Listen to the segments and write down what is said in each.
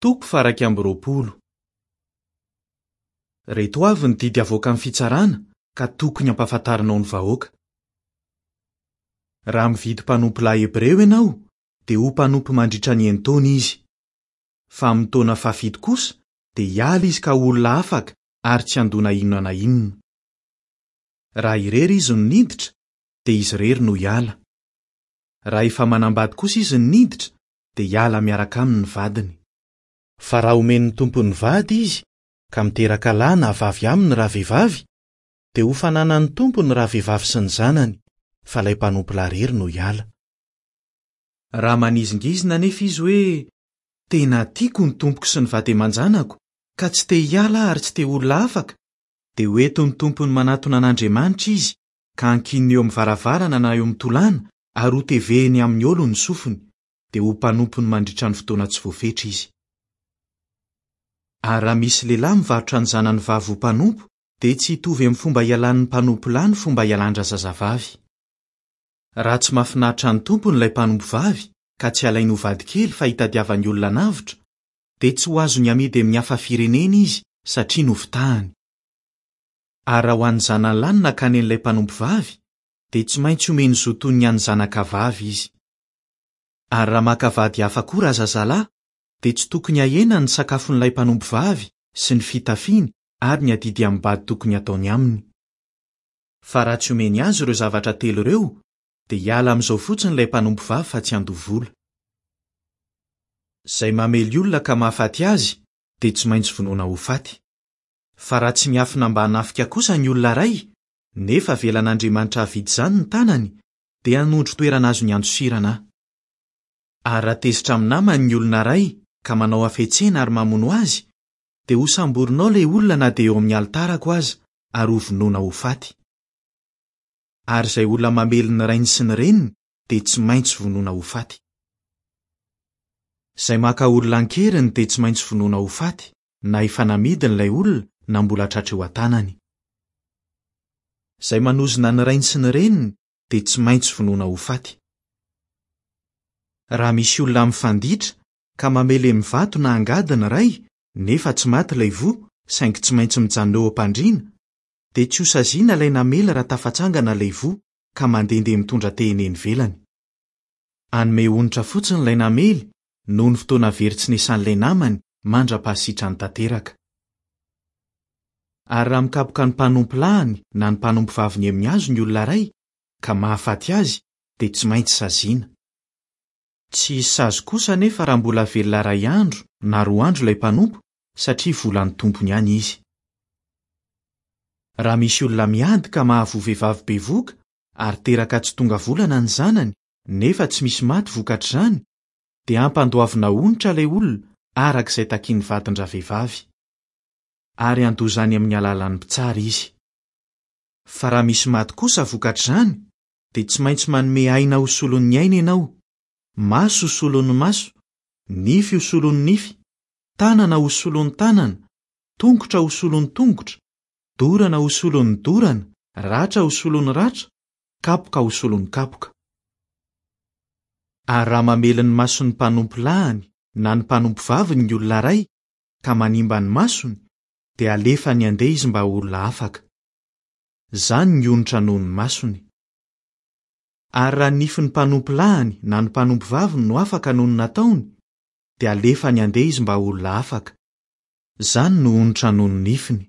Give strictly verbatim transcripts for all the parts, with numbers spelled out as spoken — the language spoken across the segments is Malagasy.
Toko faha-iraika amby roapolo. Ireto avy ny didy avoakan'ny fitsarana ka tokony hampahafantarinao ny vahoaka. Raha mividy mpanompo lahy hebreo ianao, dia ho mpanompo mandritra ny enin-taona izy. Fa amin'ny taona fahafito kosa dia hiala izy ka ho olona afaka ary tsy handoa na inona na inona. Raha irery izy no niditra, dia izy irery no hiala. Raha efa manambady kosa izy no niditra, dia hiala miaraka aminy ny vadiny. Fa raha omen'ny tompony vady izy, ka miteraka lahy na vavy aminy raha vehivavy, dia ho fananan'ny tompony raha vehivavy sy ny zanany, fa ilay mpanompo lahy irery no hiala. Raha manizingizina anefa izy hoe, tena tiako ny tompoko sy ny vady aman-janako, ka tsy te hiala aho ary tsy te ho olona afaka, dia ho entin'ny tompony manatona an'Andriamanitra izy, ka hankininy eo amin'ny varavarana na eo amin'ny tolàna ary ho tevehiny amin'ny olo ny sofiny, dia ho mpanompony mandritra ny fotoana tsy voafetra izy. Ary raha misy lehilahy mivarotra ny zanany vavy ho mpanompo, dia tsy hitovy amin'ny fomba ialan'ny mpanompo lahy ny fomba ialan-drazazavavy. Raha tsy mahafinaritra ny tompony ilay mpanompo vavy, ka tsy alainy ho vadikely fa hitadiavany olona navotra, dia tsy ho azony amidy amin'ny hafa firenena izy satria nofitahany. Ary raha ho an'ny zanany lahy no nakany an'ilay mpanompo vavy, dia tsy maintsy omeny zo toy ny an'ny zanaka vavy izy. Ary raha maka vady hafa koa razazalahy, dia tsy tokony hahena ny sakafon'ilay mpanompo vavy sy ny fitafiany ary ny adidy amim-bady tokony hataony aminy. Fa raha tsy omeny azy ireo zavatra telo ireo, dia hiala amin'izao fotsiny ilay mpanompo vavy fa tsy handoa vola. Izay mamely olona ka mahafaty azy, dia tsy maintsy vonoina ho faty. Fa raha tsy miafina mba hanafika kosa ny olona iray, nefa avelan'Andriamanitra hahavita izany ny tanany, dia hanondro toerana azony andosirana aho. Ary raha tezitra amin'ny namany ny olona iray ka manao hafetsena ary mamono azy, dia hosamborinao ilay olona na dia eo amin'ny alitarako aza ary hovonoina ho faty. Ary izay olona mamely ny rainy sy ny reniny dia tsy maintsy vonoina ho faty. Izay maka olona an-keriny dia tsy maintsy vonoina ho faty, na efa namidiny ilay olona na mbola tratra eo an-tanany. Izay manozona ny rainy sy ny reniny dia tsy maintsy vonoina ho faty. Raha misy olona mifanditra ka mamely amin'ny vato na angady ny ray, nefa tsy maty ilay voa, saingy tsy maintsy mijanona eo am-pandriana, dia tsy hosaziana ilay namely raha tafatsangana ilay voa ka mandehandeha mitondra tehina eny ivelany. Hanome onitra fotsiny ilay namely noho ny fotoana very tsy niasan'ilay namany mandra-pahasitrany tanteraka. Ary raha mikapoka ny mpanompo lahiny na ny mpanompo vaviny amin'ny hazo ny olona iray, ka mahafaty azy, dia tsy maintsy saziana. Tsy hisy sazy kosa anefa raha mbola velona iray andro na roa andro ilay mpanompo, satria volan'ny tompony ihany izy. Raha misy olona miady ka mahavoa vehivavy bevoka ary teraka tsy tonga volana ny zanany, nefa tsy misy maty vokatr'izany, dia hampandoavina onitra ilay olona araka izay takian'ny vadin-dravehivavy. Ary handoa izany amin'ny alalan'ny mpitsara izy. Fa raha misy maty kosa vokatr'izany, dia tsy maintsy manome aina ho solon'ny aina ianao, maso ho solon'ny maso, nify ho solon'ny nify, tanana ho solon'ny tanana, tongotra ho solon'ny tongotra, dorana ho solon'ny dorana, ratra ho solon'ny ratra, kapoka ho solon'ny kapoka. Ary raha mamely ny mason'ny mpanompo lahiny na ny mpanompo vaviny ny olona iray, ka manimba ny masony, dia alefany handeha izy mba ho olona afaka. Izany ny onitra noho ny masony. Ary raha ny nifin'ny mpanompo lahiny na ny mpanompo vaviny no afaka noho ny nataony, dia alefany handeha izy mba ho olona afaka. Izany no onitra noho ny nifiny.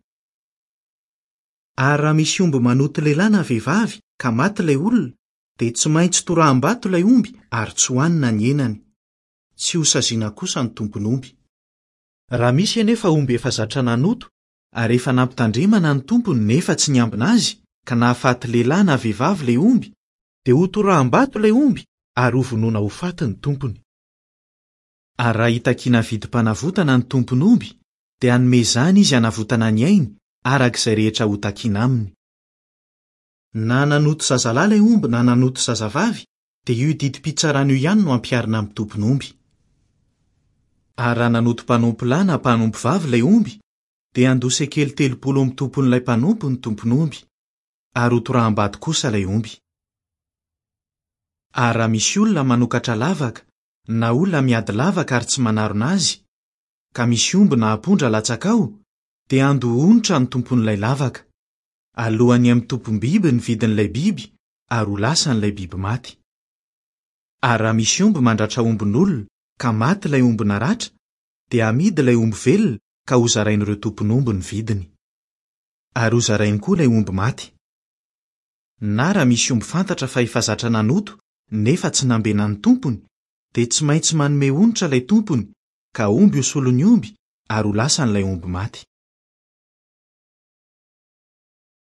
Ary raha misy omby manoto lehilahy na vehivavy ka maty ilay olona, dia tsy maintsy toraham-bato ilay omby ary tsy hohanina ny henany. Tsy hosaziana kosa ny tompon'omby. Raha misy anefa omby efa zatra nanoto ary efa nampitandremana ny tompony nefa tsy niambina azy, ka nahafaty lehilahy na vehivavy ilay omby, dia ho toraham-bato ilay omby ary ho vonoina ho faty ny tompony. Ary raha hitakiana vidim-panavotana ny tompon'omby, dia hanome izany izy hanavotana ny ainy araka izay rehetra ho takiana aminy. Na nanoto zazalahy ilay omby na nanoto zazavavy, dia io didim-pitsarana io ihany no ampiharina amin'ny tompon'omby. Ary raha nanoto mpanompo lahy na mpanompo vavy ilay omby, dia handoa sekely telopolo amin'ny tompon'ilay mpanompo ny tompon'omby, ary ho toraham-bato kosa ilay omby. Ary raha misy olona manokatra lavaka, na olona miady lavaka ary tsy manarona azy, ka misy omby na ampondra latsaka ao, dia handoa onitra ny tompon'ilay lavaka. Alohan'ny amin'ny tompom-biby ny vidin'ilay biby ary ho lasan'ilay biby maty. Ary raha misy omby mandratra ombin'olona ka maty ilay omby naratra, dia hamidy ilay omby velona ka hozarain'ireo tompon'omby ny vidiny. Ary hozarainy koa ilay omby maty. Na raha misy omby fantatra fa efa zatra nanoto nefa tsy nambenan'ny tompony, dia tsy maintsy manome onitra ilay tompony ka omby ho solon'ny omby ary ho lasan'ilay omby maty.